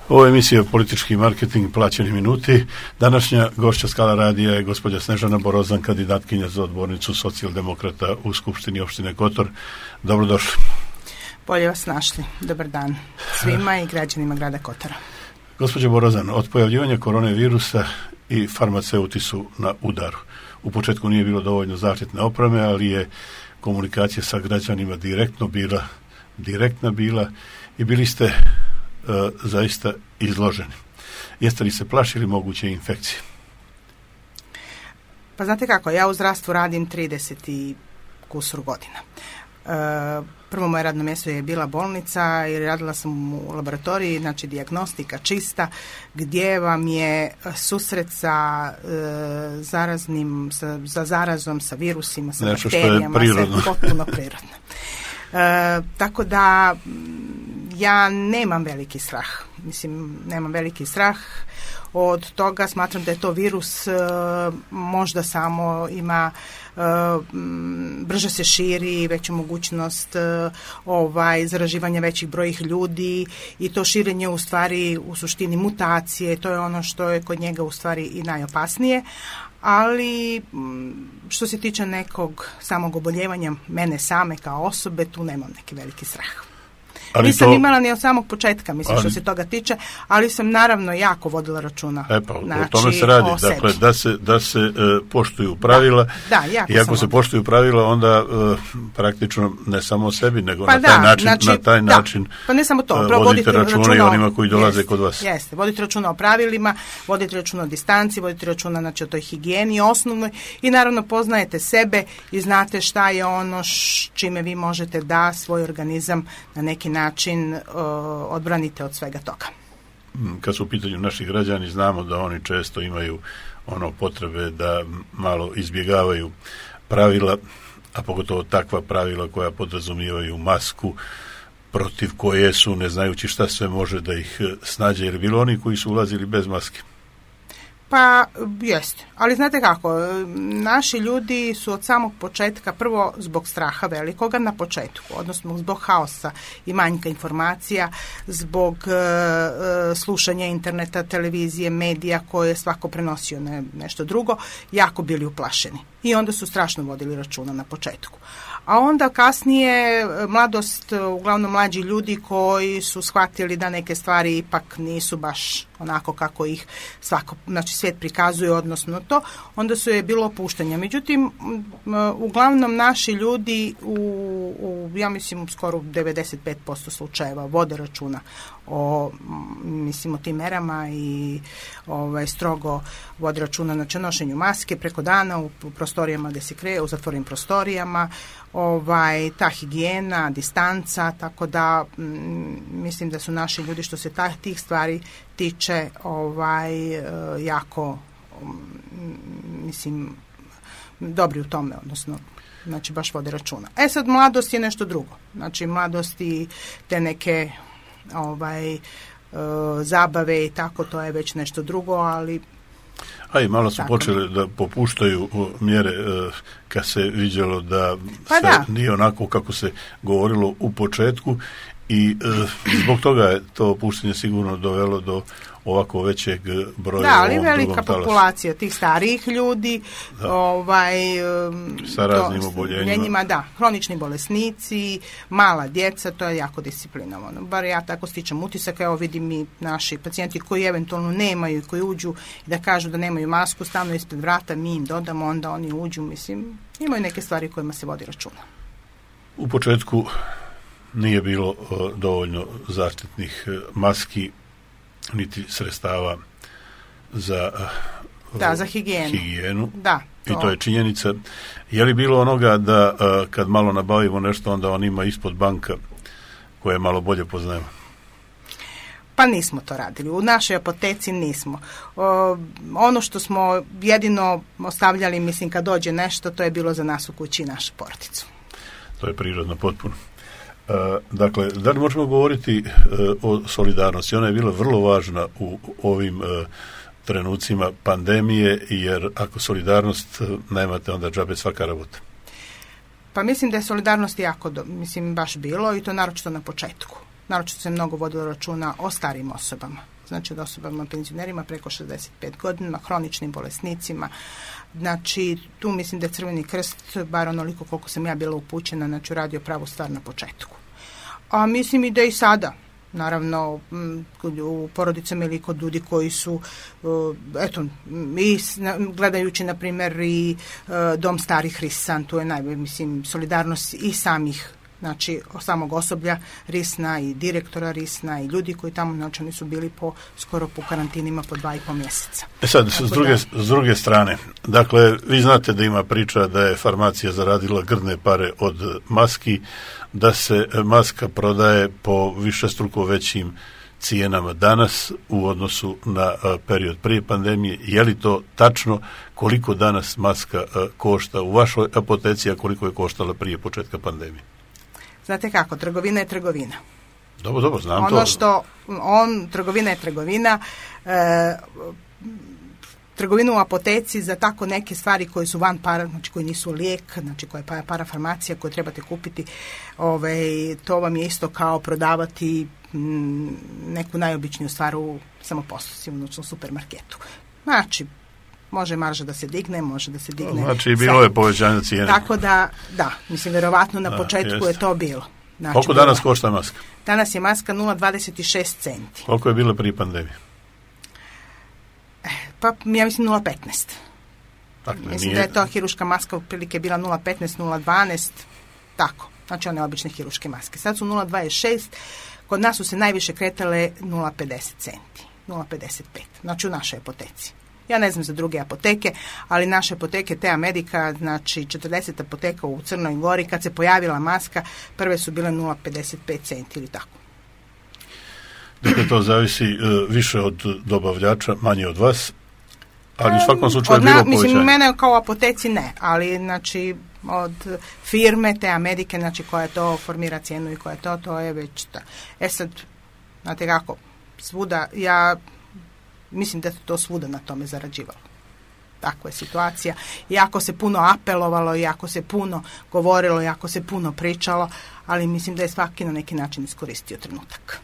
Ovo je emisija Politički marketing, plaćeni minuti. Današnja gošća Skala radija je gospođa Snežana Borozan, kandidatkinja za odbornicu socijaldemokrata u Skupštini opštine Kotor. Dobrodošli. Bolje vas našli. Dobar dan svima i građanima grada Kotora. Gospođa Borozan, od pojavljivanja koronavirusa i farmaceuti su na udaru. U početku nije bilo dovoljno zaštitne opreme, ali je komunikacija sa građanima direktna bila i bili ste zaista izloženi. Jeste li se plašili moguće infekcije? Pa znate kako, ja u zdravstvu radim 30 i kusur godina. Prvo moje radno mjesto je bila bolnica i radila sam u laboratoriji, znači dijagnostika čista, gdje vam je susret sa zarazom, sa virusima, sa bakterijama, sve potpuno prirodno. Tako da ja nemam veliki strah od toga. Smatram da je to virus, možda samo ima brže se širi, veću mogućnost zaraživanja većih brojih ljudi i to širenje u stvari u suštini mutacije, to je ono što je kod njega u stvari i najopasnije. Ali što se tiče nekog samog oboljevanja mene same kao osobe, tu nemam neki veliki strah. Nisam imala ni od samog početka, što se toga tiče, ali sam naravno jako vodila računa. O tome se radi, dakle, da se poštuju pravila. I ako se poštuju pravila, onda praktično ne samo o sebi, nego na taj način pa ne samo to, vodite računa i onima koji dolaze kod vas. Jeste, vodite računa o pravilima, vodite računa o distanci, vodite računa o toj higijeni osnovnoj i naravno poznajete sebe i znate šta je ono čime vi možete da svoj organizam na neki način odbranite od svega toga. Kad su u pitanju naši građani, znamo da oni često imaju potrebe da malo izbjegavaju pravila, a pogotovo takva pravila koja podrazumijevaju masku, protiv koje su, ne znajući šta sve može da ih snađe, jer bilo oni koji su ulazili bez maske. Pa jeste, ali znate kako, naši ljudi su od samog početka, prvo zbog straha velikoga na početku, odnosno zbog haosa i manjka informacija, zbog slušanja interneta, televizije, medija koje je svako prenosio nešto drugo, jako bili uplašeni i onda su strašno vodili računa na početku. A onda kasnije mladost, uglavnom mlađi ljudi koji su shvatili da neke stvari ipak nisu baš onako kako ih svijet prikazuje, odnosno to, onda su je bilo opuštanja. Međutim, uglavnom naši ljudi ja mislim skoro 95% slučajeva vode računa o tim merama i strogo vode računa na nošenju maske preko dana u prostorijama gdje se kreje, u zatvorenim prostorijama, ta higijena, distanca, tako da mislim da su naši ljudi što se tih stvari tiče jako dobri u tome, odnosno baš vode računa. Sad mladost je nešto drugo. Mladost i te neke zabave i tako, to je već nešto drugo, ali i malo su počeli da popuštaju mjere kad se vidjelo da nije onako kako se govorilo u početku i zbog toga je to opuštanje sigurno dovelo do ovako većeg broja. Da, ali velika populacija tih starijih ljudi sa raznim oboljenjima. Hronični bolesnici, mala djeca, to je jako disciplinovano. Bar ja tako stičem utisak, evo vidim i naši pacijenti koji eventualno nemaju i koji uđu i da kažu da nemaju masku, stavno ispred vrata, mi im dodamo, onda oni uđu, imaju neke stvari kojima se vodi računa. U početku nije bilo dovoljno zaštitnih maski niti sredstava za higijenu. Da, i to je činjenica. Je li bilo onoga da kad malo nabavimo nešto, onda on ima ispod banka koje malo bolje poznajemo? Pa nismo to radili. U našoj apoteci nismo. Ono što smo jedino ostavljali, kad dođe nešto, to je bilo za nas u kući i našu porodicu. To je prirodno potpuno. Dakle, da li možemo govoriti o solidarnosti? Ona je bila vrlo važna u ovim trenucima pandemije, jer ako solidarnost nemate, onda džabe svaka rabota. Pa mislim da je solidarnost jako, baš bilo i to naročito na početku. Naročito se mnogo vodilo računa o starijim osobama. znači od osobama penzionerima preko 65 godina, hroničnim bolesnicima. Znači, tu mislim da je Crveni krst, bar onoliko koliko sam ja bila upućena, znači uradio pravu stvar na početku. A mislim i da i sada, naravno, u porodicama ili kod ljudi koji su, eto, i gledajući, na primjer, i Dom starih Risan, tu je mislim, solidarnost i samih, znači, samog osoblja Risna i direktora Risna i ljudi koji tamo, znači, oni su bili skoro po karantinima po 2,5 mjeseca. Sad, s druge strane, dakle, vi znate da ima priča da je farmacija zaradila grdne pare od maski, da se maska prodaje po višestruko većim cijenama danas u odnosu na period prije pandemije. Je li to tačno? Koliko danas maska košta u vašoj apoteci, a koliko je koštala prije početka pandemije? Znate kako, trgovina je trgovina. Dobro, znam ono to. Trgovina je trgovina. Trgovinu u apoteci za tako neke stvari koje su van para, znači koji nisu lijek, znači koja je parafarmacija koju trebate kupiti, to vam je isto kao prodavati neku najobičniju stvar u samoposluzi, u supermarketu. Znači, može marža da se digne, može da se digne. Znači, bilo je povećanje cijene. Tako da, mislim, vjerovatno na početku je to bilo. Znači, koliko danas košta maska? Danas je maska 0,26 centi. Koliko je bilo prije pandemije? Pa ja mislim 0,15. Dakle, mislim da je to hiruška maska otprilike bila 0,15, 0,12, tako. Znači one obične hiruške maske. Sad su 0,26, kod nas su se najviše kretale 0,50 centi, 0,55, znači u našoj apoteci. Ja ne znam za druge apoteke, ali naše apoteke, te Amerika, znači 40 apoteka u Crnoj Gori, kad se pojavila maska, prve su bile 0,55 centi ili tako. Dakle, to zavisi više od dobavljača, manje od vas, ali u svakom slučaju je bilo povećanje. Mislim, mene kao apoteci ne, ali znači od firme te Amerike, znači koja to formira cijenu i koja to je već ta. Sad, znate kako, svuda, ja mislim da to svuda na tome zarađivalo. Takva je situacija. Jako se puno apelovalo, jako se puno govorilo, jako se puno pričalo, ali mislim da je svaki na neki način iskoristio trenutak.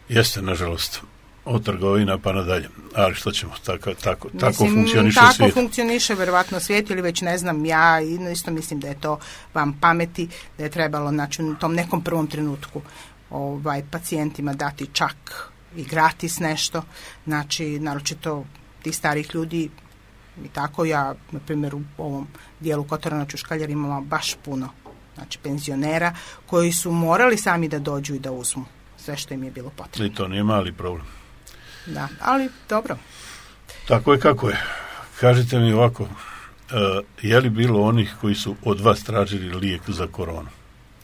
Jeste, nažalost, od trgovina pa nadalje. Ali što ćemo, tako funkcioniše tako svijet. Tako funkcioniše verovatno svijet ili već ne znam, ja isto mislim da je to vam pameti, da je trebalo znači, u tom nekom prvom trenutku pacijentima dati čak i gratis nešto, znači naročito tih starih ljudi i tako ja, na primjer u ovom dijelu Kotora na Čuškaljar imamo baš puno znači penzionera koji su morali sami da dođu i da uzmu sve što im je bilo potrebno. I to nije mali problem. Da, ali dobro. Tako je kako je. Kažite mi ovako, je li bilo onih koji su od vas tražili lijek za koronu?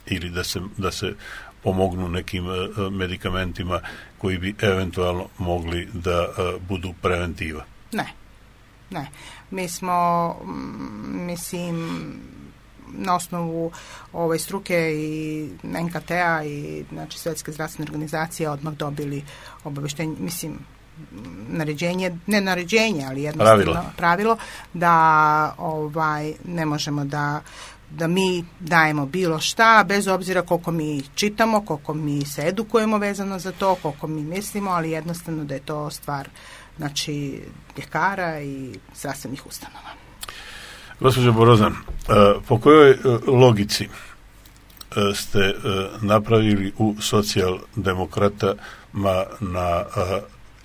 Ili da se pomognu nekim medikamentima koji bi eventualno mogli da budu preventiva? Ne. Mi smo, mislim, na osnovu ove struke i NKT-a i znači Svjetske zdravstvene organizacije odmah dobili obavještenje, mislim, ne naređenje, ali jednostavno pravilo da ne možemo da mi dajemo bilo šta, bez obzira koliko mi čitamo, koliko mi se edukujemo vezano za to, koliko mi mislimo, ali jednostavno da je to stvar znači ljekara i zdravstvenih ustanova. Gospođo Borozan, po kojoj logici ste napravili u socijaldemokratama na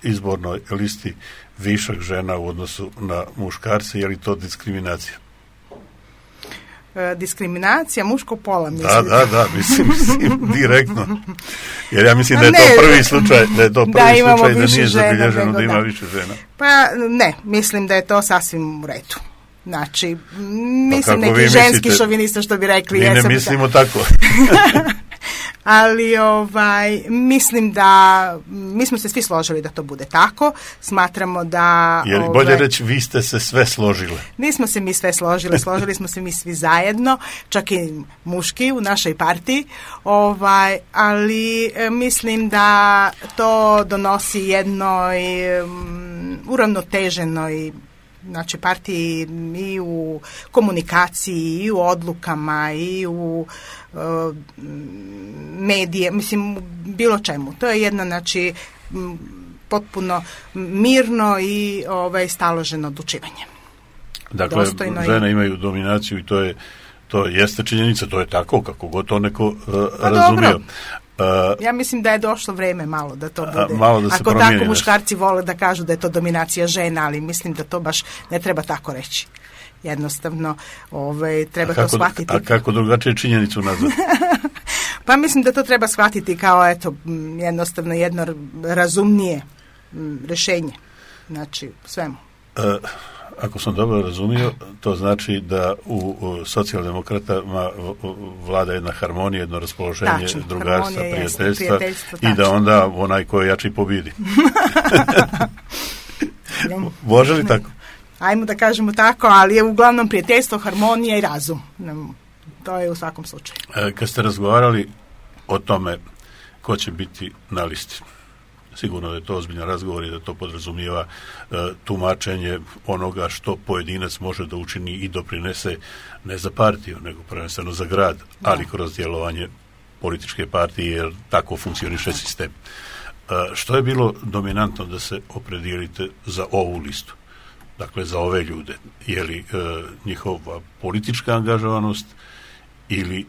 izbornoj listi višak žena u odnosu na muškarce? Je li to diskriminacija? Diskriminacija muškog pola, mislim. Da, mislim direktno. Jer ja mislim da je to prvi slučaj, da nije zabilježeno da ima više žena. Pa ne, mislim da je to sasvim u redu. Znači, mislim neki ženski šovinista što bi rekli. Mi ne mislimo tako. Ali mislim da mi smo se svi složili da to bude tako. Smatramo da... Je li bolje reći vi ste se sve složile? Nismo se mi sve složili smo se mi svi zajedno, čak i muški u našoj partiji, ali mislim da to donosi jednoj uravnoteženoj znači partiji i u komunikaciji i u odlukama i u medije, mislim bilo čemu. To je jedna znači potpuno mirno i staloženo odlučivanje. Dakle, žene imaju dominaciju i to jeste činjenica, to je tako, kako god to neko razumio. Ja mislim da je došlo vreme malo da to bude. Malo da se ako promijeni tako muškarci vole da kažu da je to dominacija žena, ali mislim da to baš ne treba tako reći. Jednostavno, treba to shvatiti. A kako drugačije činjenicu nazvati? Pa mislim da to treba shvatiti kao jednostavno jedno razumnije rješenje. Znači, svemu. Ako sam dobro razumio, to znači da u socijaldemokratama vlada jedna harmonija, jedno raspoloženje, drugarstva, prijateljstva i da onda onaj ko je jači pobjedi. Može li tako? Ajmo da kažemo tako, ali je uglavnom prijateljstvo, harmonija i razum. To je u svakom slučaju. Kad ste razgovarali o tome ko će biti na listi, sigurno da je to ozbiljan razgovor i da to podrazumijeva tumačenje onoga što pojedinac može da učini i doprinese ne za partiju, nego prvenstveno za grad, ali kroz djelovanje političke partije, jer tako funkcioniše sistem. Što je bilo dominantno da se opredijelite za ovu listu? Dakle, za ove ljude. Je li njihova politička angažovanost ili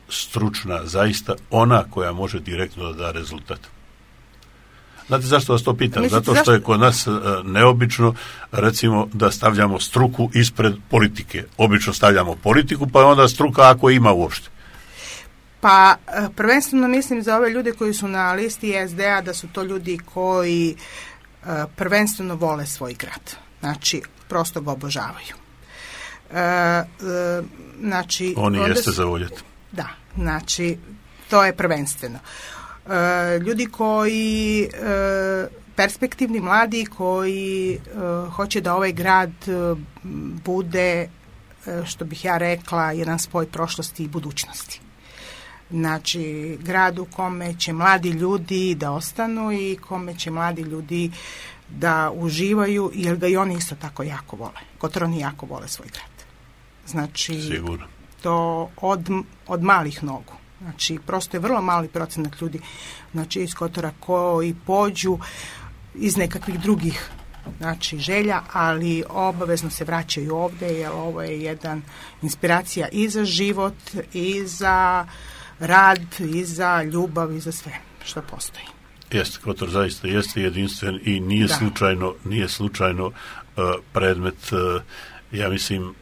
stručna, zaista ona koja može direktno da da rezultat? Znate zašto vas to pitam? Zato što je kod nas neobično, recimo, da stavljamo struku ispred politike. Obično stavljamo politiku, pa je onda struka ako ima uopšte. Pa prvenstveno mislim za ove ljude koji su na listi SD-a da su to ljudi koji prvenstveno vole svoj grad. Znači, prosto ga obožavaju. Znači, oni jeste za voljeti. Da, znači, to je prvenstveno. Ljudi koji perspektivni, mladi, koji hoće da ovaj grad bude, što bih ja rekla, jedan spoj prošlosti i budućnosti. Znači, grad u kome će mladi ljudi da ostanu i kome će mladi ljudi da uživaju, jer ga i oni isto tako jako vole. Kotorani jako vole svoj grad. Znači, sigurno. To od malih nogu. Znači, prosto je vrlo mali procenat ljudi, znači, iz Kotora koji pođu iz nekakvih drugih, znači, želja, ali obavezno se vraćaju ovdje, jer ovo je jedan inspiracija i za život, i za rad, i za ljubav, i za sve što postoji. Jeste, Kotor zaista jeste jedinstven i nije slučajno predmet, ja mislim,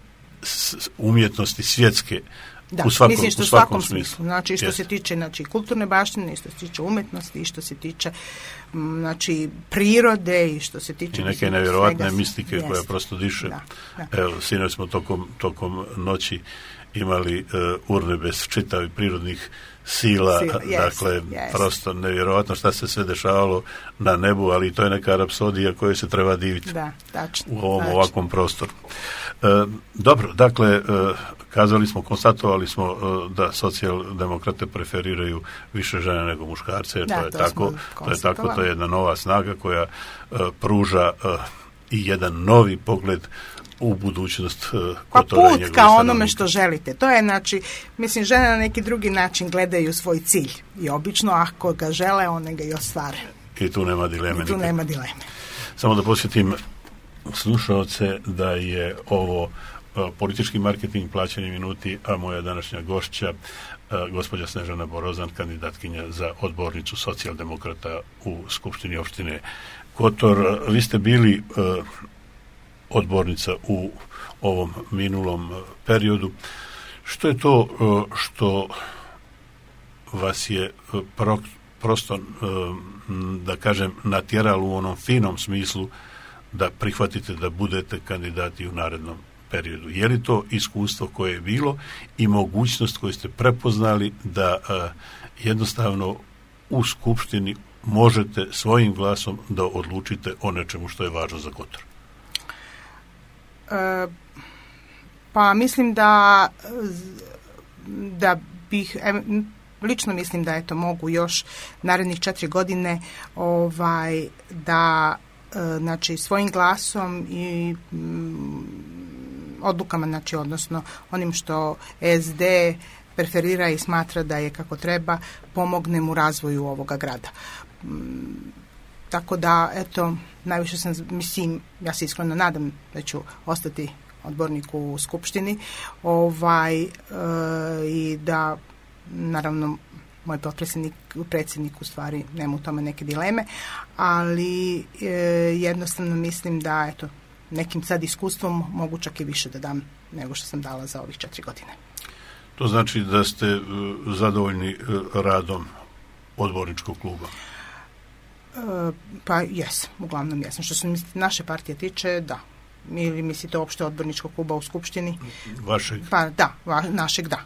umjetnosti svjetske. Da, u svakom smislu. Znači, što se tiče kulturne baštine, što se tiče umjetnosti, i što se tiče prirode, i što se tiče... I neke nevjerojatne mistike koja prosto diše. Da. Evo, sinoć smo tokom noći imali urnebes čitavi prirodnih sila, prosto nevjerojatno šta se sve dešavalo na nebu, ali to je neka rapsodija kojoj se treba diviti u ovom ovakvom prostoru. Dobro, dakle, konstatovali smo da socijaldemokrate preferiraju više žene nego muškarce, jer to je jedna nova snaga koja pruža i jedan novi pogled u budućnost Kotora. Pa put kao onome što želite. To je, mislim, žene na neki drugi način gledaju svoj cilj i obično ako ga žele, one ga i ostvare. I tu nema dileme. Samo da posjetim slušaoce da je ovo politički marketing, plaćanje minuti, a moja današnja gošća, gospođa Snežana Borozan, kandidatkinja za odbornicu socijaldemokrata u Skupštini opštine Kotor. Vi ste bili odbornica u ovom minulom periodu. Što je to što vas je prosto, da kažem, natjeralo u onom finom smislu da prihvatite da budete kandidati u narednom periodu? Je li to iskustvo koje je bilo i mogućnost koju ste prepoznali da jednostavno u Skupštini možete svojim glasom da odlučite o nečemu što je važno za Kotor? Pa mislim da bih, lično mislim da mogu još narednih 4 godine da svojim glasom i odlukama, odnosno onim što SD preferira i smatra da je kako treba, pomognem u razvoju ovoga grada. tako da, eto, najviše sam, mislim, ja se iskreno nadam da ću ostati odbornik u skupštini, i da, naravno, moj predsjednik u stvari nema u tome neke dileme, ali jednostavno mislim da, eto, nekim sad iskustvom mogu čak i više da dam nego što sam dala za ovih 4 godine. To znači da ste zadovoljni radom odborničkog kluba? Pa jesam, uglavnom jesam. Što se naše partije tiče, da. Ili mislite uopšte odborničkog kluba u skupštini? Vašeg? Pa da, našeg, da.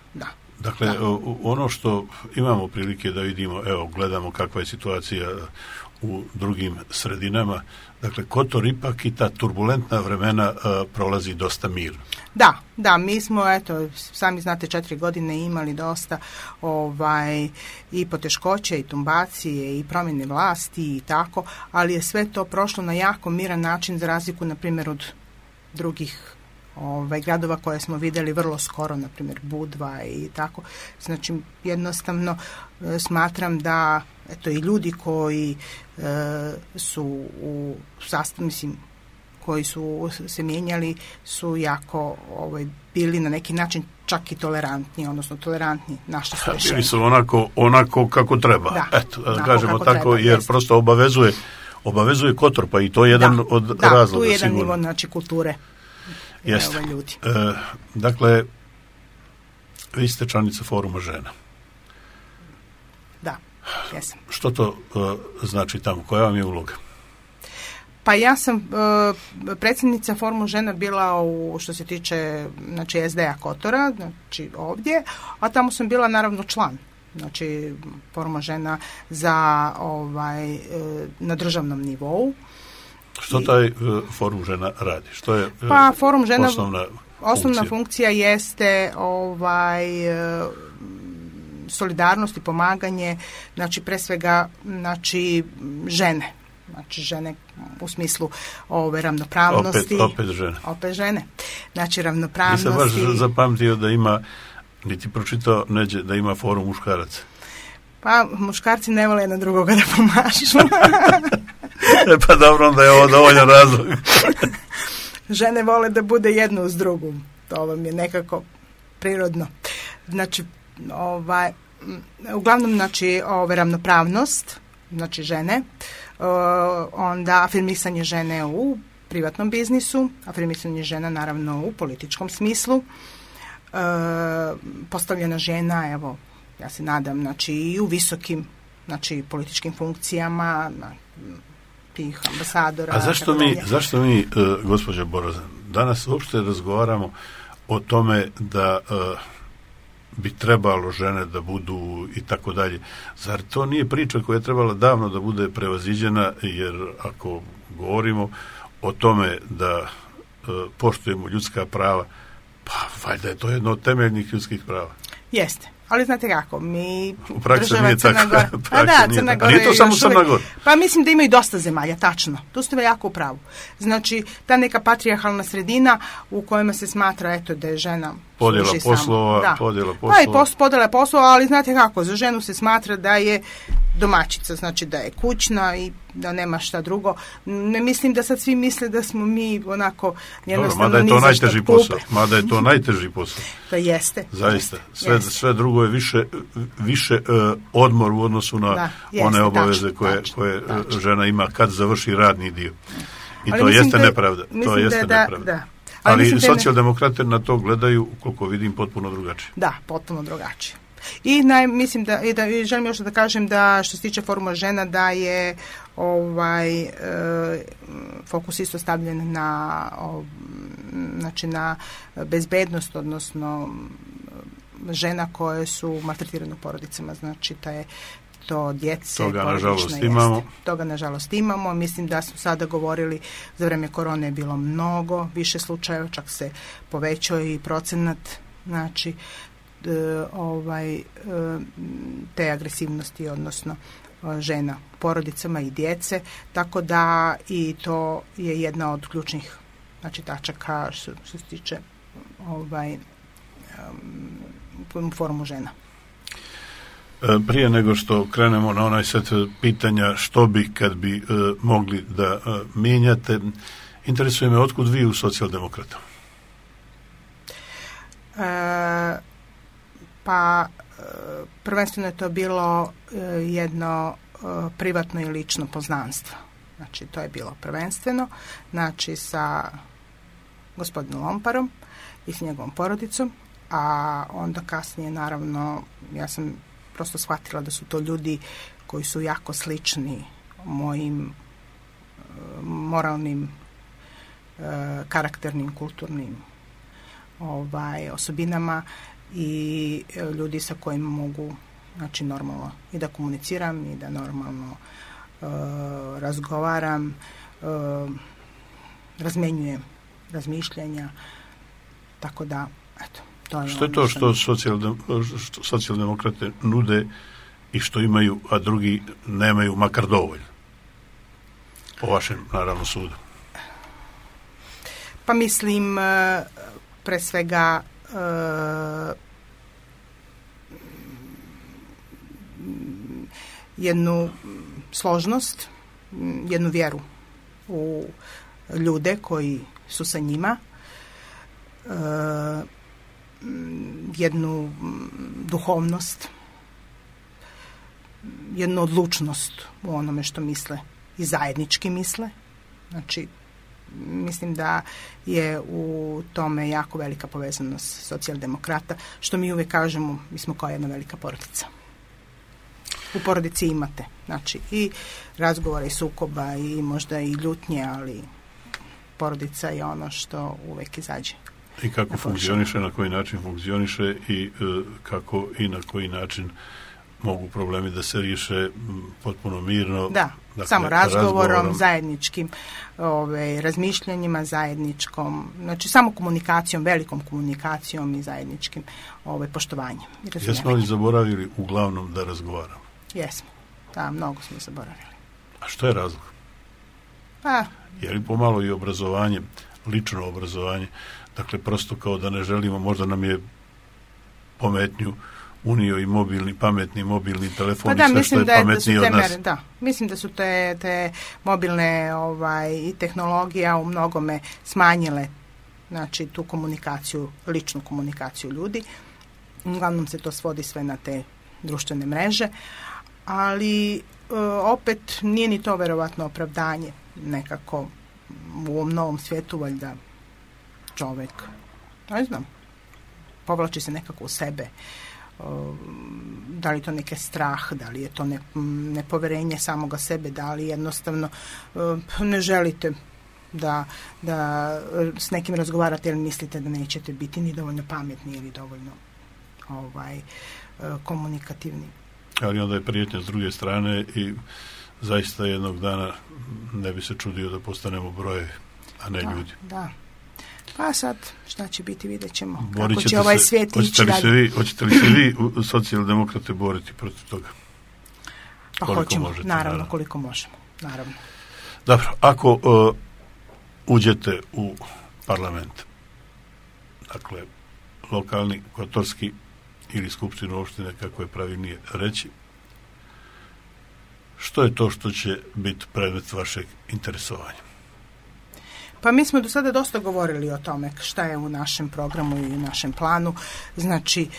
Dakle, ono što imamo prilike da vidimo, evo, gledamo kakva je situacija u drugim sredinama, dakle, Kotor ipak i ta turbulentna vremena prolazi dosta mirno. Da, mi smo, eto, sami znate, 4 godine imali dosta i poteškoće i tumbacije i promjene vlasti i tako, ali je sve to prošlo na jako miran način, za razliku, na primjer, od drugih gradova koje smo vidjeli vrlo skoro, na primjer Budva i tako. Znači, jednostavno smatram da, eto, i ljudi koji su u sastavu, mislim, koji su se mijenjali, su jako bili na neki način čak i tolerantni, odnosno tolerantni naše rješenje. Bili su onako kako treba. Da kažemo tako, treba, jer prosto obavezuje Kotor, pa i to je jedan od razloga. Da, tu je jedan nivo, znači, kulture. Jeste. Ljudi. Dakle, vi ste članica Foruma žena. Da, jesam. Što to znači tamo? Koja vam je uloga? Pa ja sam predsjednica Foruma žena bila što se tiče, znači, SDA Kotora, znači ovdje, a tamo sam bila naravno član, znači Foruma žena na državnom nivou. Što taj Forum žena radi? Što je Forum žena, osnovna funkcija jeste solidarnost i pomaganje, znači pre svega, znači, žene. Znači, žene u smislu ravnopravnosti. Opet žene. Znači, ravnopravnosti. Nisam baš zapamtio da ima, niti pročitao neđe, da ima forum muškaraca. Pa, muškarci ne vole jedan drugoga da pomažu. Pa dobro, onda je ovo dovoljan razlog. Žene vole da bude jedno uz drugu. To vam je nekako prirodno. Znači, uglavnom, znači, ravnopravnost, znači žene, onda afirmisanje žene u privatnom biznisu, afirmisanje žena naravno u političkom smislu, postavljena žena, evo, ja se nadam, znači, i u visokim, znači, političkim funkcijama, tih ambasadora. A zašto mi, gospođa Borozan, danas uopšte razgovaramo o tome da bi trebalo žene da budu i tako dalje? Zar to nije priča koja je trebala davno da bude prevaziđena, jer ako govorimo o tome da poštujemo ljudska prava, pa valjda je to jedno od temeljnih ljudskih prava. Jeste. Ali znate kako, mi u praksi nije tako. Crna Gora nije to samo Crna Gora. Pa mislim da ima i dosta zemalja, tačno. Tu ste jako u pravu. Znači, ta neka patrijarhalna sredina u kojima se smatra, eto, da je žena podjela poslova. Pa i podjela poslova, ali znate kako, za ženu se smatra da je domaćica, znači da je kućna i da nema šta drugo. Ne mislim da sad svi misle da smo mi onako jednostavno ni za što kupe. Mada je to najteži posao. To jeste. Zaista. Sve drugo je više odmor u odnosu na one obaveze koje žena ima kad završi radni dio. I to jeste nepravda. To jeste nepravda. Ali socijaldemokrate na to gledaju, koliko vidim, potpuno drugačije. Da, potpuno drugačije. I mislim da želim još da kažem da što se tiče Foruma žena da je fokus isto stavljen na bezbednost, odnosno žena koje su maltretirane u porodicama, znači to djece. Toga nažalost imamo. Mislim da smo sada govorili, za vrijeme korone je bilo mnogo više slučajeva, čak se povećao i procenat, znači te agresivnosti, odnosno žena u porodicama i djece, tako da i to je jedna od ključnih, znači, tačaka što se tiče Forumu žena. Prije nego što krenemo na onaj set pitanja što bi kad bi mogli da mijenjate, interesuje me otkud vi u Socijaldemokrata? Pa prvenstveno je to bilo jedno privatno i lično poznanstvo. Znači to je bilo prvenstveno, znači sa gospodinom Lomparom i s njegovom porodicom, a onda kasnije naravno ja sam prosto shvatila da su to ljudi koji su jako slični mojim moralnim, karakternim, kulturnim osobinama i ljudi sa kojima mogu, znači, normalno i da komuniciram i da normalno razgovaram, razmenjujem razmišljanja, tako da, eto, to je što je to što socijaldemokrate nude i što imaju, a drugi nemaju makar dovoljno? Po vašem, naravno, sudu. Pa mislim, pre svega, jednu složnost, jednu vjeru u ljude koji su sa njima, jednu duhovnost, jednu odlučnost u onome što misle i zajednički misle. Znači, mislim da je u tome jako velika povezanost socijaldemokrata, što mi uvijek kažemo, mi smo kao jedna velika porodica. U porodici imate, znači, i razgovora i sukoba i možda i ljutnje, ali porodica je ono što uvijek izađe. I kako funkcioniše, na koji način funkcioniše i kako i na koji način mogu problemi da se riješe potpuno mirno. Da, dakle, samo razgovorom, zajedničkim razmišljanjima, zajedničkom, znači samo komunikacijom, velikom komunikacijom i zajedničkim poštovanjem. Jesmo li zaboravili uglavnom da razgovaramo? Jesmo, da, mnogo smo zaboravili. A što je razlog? Je li pomalo i obrazovanje, lično obrazovanje, dakle prosto kao da ne želimo, možda nam je pometnju unio i pametni mobilni telefon, pa da, sve što je pametnije od nas. Da, mislim da su te mobilne i tehnologija u mnogome smanjile, znači, tu komunikaciju, ličnu komunikaciju ljudi. Uglavnom se to svodi sve na te društvene mreže, ali opet nije ni to verovatno opravdanje. Nekako u ovom novom svijetu valjda čovjek, ne znam, povlači se nekako u sebe. Da li to neki strah, da li je to nepoverenje samoga sebe, da li jednostavno ne želite da s nekim razgovarate jer mislite da nećete biti ni dovoljno pametni ili dovoljno komunikativni. Ali onda je prijetnja s druge strane i zaista jednog dana ne bi se čudio da postanemo brojevi, a ne ljudi. Da. Pa sad, šta će biti, vidjet ćemo. Kako će ovaj svijet ići dalje. Hoćete li se vi socijaldemokrate boriti protiv toga? Pa hoćemo, naravno, koliko možemo. Naravno. Dobro, ako uđete u parlament, dakle, lokalni, kotorski ili skupštinu opštine, kako je pravilnije reći, što je to što će biti predmet vašeg interesovanja? Pa mi smo do sada dosta govorili o tome šta je u našem programu i u našem planu. Znači,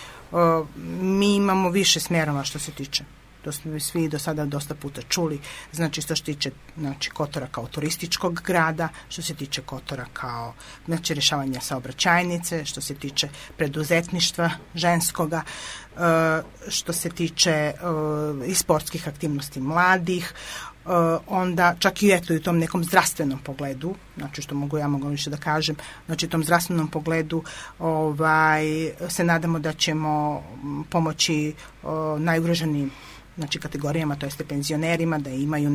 mi imamo više smjerova što se tiče. To smo svi do sada dosta puta čuli. Znači, što se tiče, znači, Kotora kao turističkog grada, što se tiče Kotora kao, znači, rješavanja saobraćajnice, što se tiče preduzetništva ženskoga, što se tiče i sportskih aktivnosti mladih, onda čak i eto i u tom nekom zdravstvenom pogledu, znači što mogu više da kažem, znači u tom zdravstvenom pogledu se nadamo da ćemo pomoći najugroženijim, znači kategorijama, to jeste penzionerima, da imaju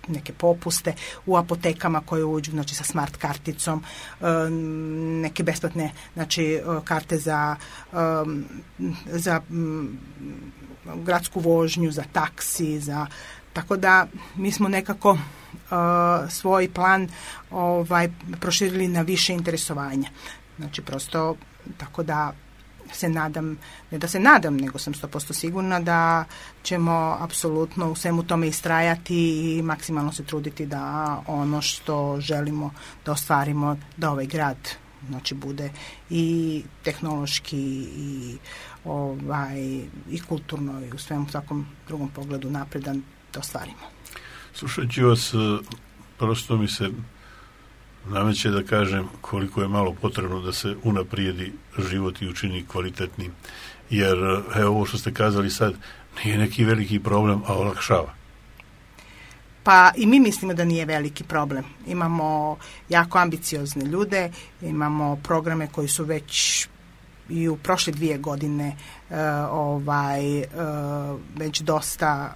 neke popuste u apotekama koje uđu, znači sa smart karticom, neke besplatne, znači karte za gradsku vožnju, za taksi, tako da mi smo nekako svoj plan proširili na više interesovanja. Znači prosto tako da ne da se nadam, nego sam 100% sigurna da ćemo apsolutno u svemu tome istrajati i maksimalno se truditi da ono što želimo da ostvarimo, da ovaj grad znači bude i tehnološki i kulturno i u svemu svakom drugom pogledu napredan da ostvarimo. Slušajući vas, prosto mi se nameće da kažem koliko je malo potrebno da se unaprijedi život i učini kvalitetnim. Jer, evo ovo što ste kazali sad, nije neki veliki problem, a olakšava. Pa i mi mislimo da nije veliki problem. Imamo jako ambiciozne ljude, imamo programe koji su već i u prošle 2 godine već dosta,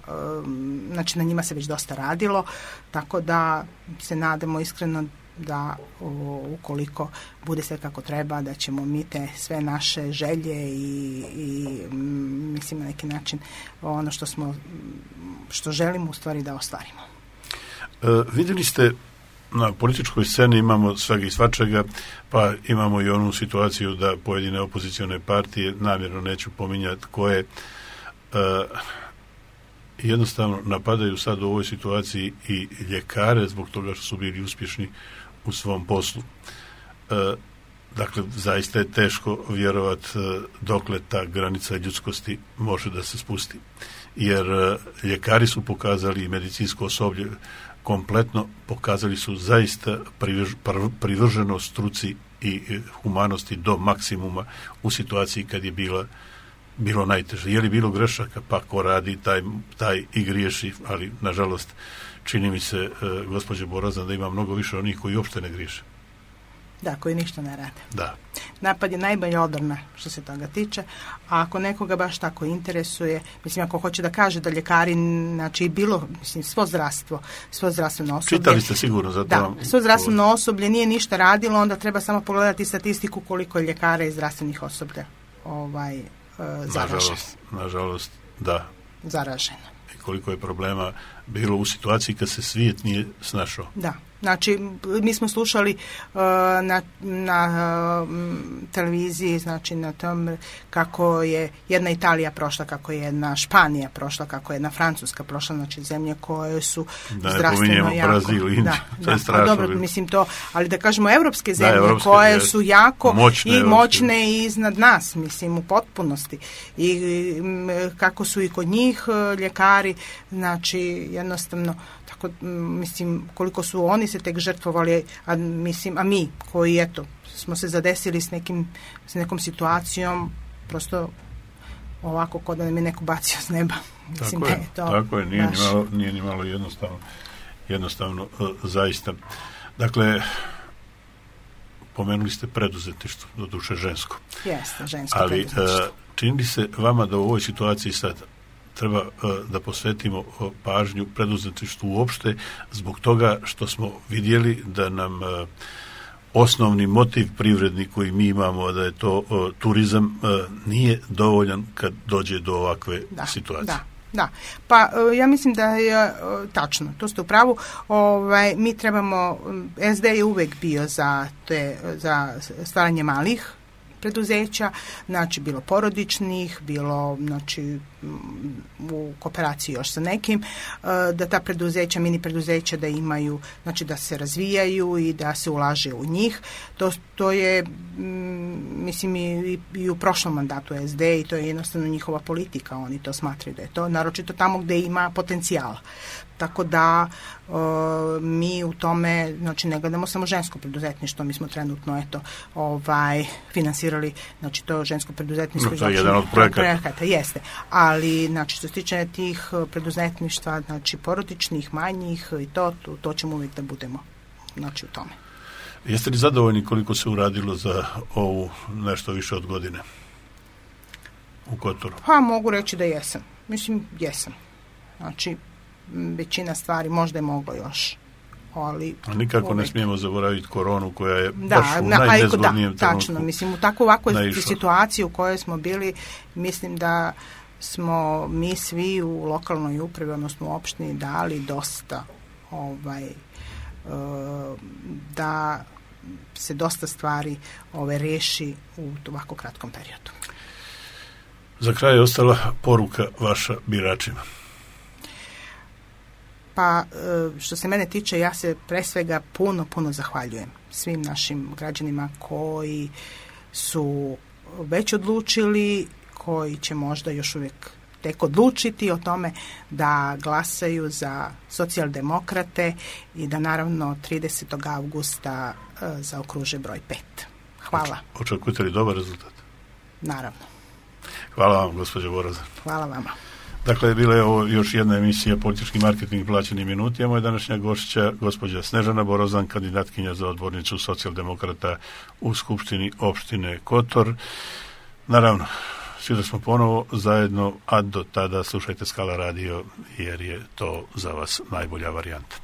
znači na njima se već dosta radilo, tako da se nadamo iskreno da ukoliko bude sve kako treba, da ćemo mi te sve naše želje i mislim na neki način ono što želimo u stvari da ostvarimo. Vidjeli ste, na političkoj sceni imamo svega i svačega, pa imamo i onu situaciju da pojedine opozicione partije, namjerno neću pominjati koje, jednostavno napadaju sad u ovoj situaciji i ljekare zbog toga što su bili uspješni u svom poslu. Dakle, zaista je teško vjerovati dokle ta granica ljudskosti može da se spusti. Jer ljekari su pokazali i medicinsko osoblje kompletno pokazali su zaista privrženost struci i humanosti do maksimuma u situaciji kad je bilo najteže. Je li bilo grešaka? Pa ko radi, taj i griješi, ali nažalost čini mi se, gospođe Borazan, da ima mnogo više onih koji uopšte ne griješe. Da, koji ništa ne rade. Da. Napad je najbolja odbrana što se toga tiče, a ako nekoga baš tako interesuje, mislim, ako hoće da kaže da ljekari, znači bilo, mislim, svo zdravstveno osoblje. Čitali ste sigurno za to. Da, svo zdravstveno osoblje nije ništa radilo, onda treba samo pogledati statistiku koliko je ljekara i zdravstvenih osoblja zaraženo. Nažalost, da. Zaraženo. I koliko je problema bilo u situaciji kad se svijet nije snašao. Da. Znači, mi smo slušali na televiziji, znači na tom kako je jedna Italija prošla, kako je jedna Španija prošla, kako je jedna Francuska prošla, znači zemlje koje su zdravstveno jako. Brazil, Indiju, to je strašno. Dobro, mislim to, ali da kažemo evropske zemlje koje su jako moćne i iznad nas, mislim, u potpunosti. I kako su i kod njih ljekari, znači jednostavno tako, mislim, koliko su oni se tek žrtvovali, a mi koji, eto, smo se zadesili s nekom situacijom, prosto ovako kod da nam je neko bacio s neba. Mislim, tako je, nije ni malo jednostavno zaista. Dakle, pomenuli ste preduzetništvo, doduše žensko. Jeste, žensko ali, preduzetništvo. čini se vama da u ovoj situaciji sad treba da posvetimo pažnju preduzetništvu uopšte zbog toga što smo vidjeli da nam osnovni motiv privredni koji mi imamo, da je to turizam, nije dovoljan kad dođe do ovakve situacije. Da, pa ja mislim da je tačno, to ste u pravu. Mi trebamo, SD je uvek bio za stvaranje malih preduzeća, znači bilo porodičnih, bilo znači u kooperaciji još sa nekim, da ta preduzeća, mini preduzeća da imaju, znači da se razvijaju i da se ulaže u njih. To je mislim i u prošlom mandatu SD i to je jednostavno njihova politika, oni to smatraju da je to, naročito tamo gdje ima potencijala. Tako da mi u tome, znači ne gledamo samo žensko preduzetništvo, mi smo trenutno finansirali, znači to žensko preduzetništvo. To je jedan od projekata. Jeste, ali znači što se tiče tih preduzetništva, znači porodičnih, manjih i to ćemo uvijek da budemo, znači u tome. Jeste li zadovoljni koliko se uradilo za ovu nešto više od godine u Kotoru? Pa mogu reći da jesam. Mislim, jesam. Znači, većina stvari možda je moglo još. Ali nikako ne smijemo zaboraviti koronu koja je baš u najnezgodnijem trenutku. Tačno, mislim, u takvu ovakvoj situaciji u kojoj smo bili, mislim da smo mi svi u lokalnoj upravi, odnosno u opštini, dali dosta da se dosta stvari reši u ovako kratkom periodu. Za kraj je ostala poruka vaša biračima. Pa što se mene tiče, ja se pre svega puno zahvaljujem svim našim građanima koji su već odlučili, koji će možda još uvijek tek odlučiti o tome da glasaju za socijaldemokrate i da naravno 30. augusta zaokruže broj 5. Hvala. Očekujete li dobar rezultat? Naravno. Hvala vam, gospođo Borozan. Hvala vama. Dakle, bila je ovo još jedna emisija Politički marketing plaćeni minuti, a moja današnja gošća, gospođa Snežana Borozan, kandidatkinja za odbornicu socijaldemokrata u Skupštini opštine Kotor. Naravno, svi smo ponovo zajedno, a do tada slušajte Skala radio, jer je to za vas najbolja varijanta.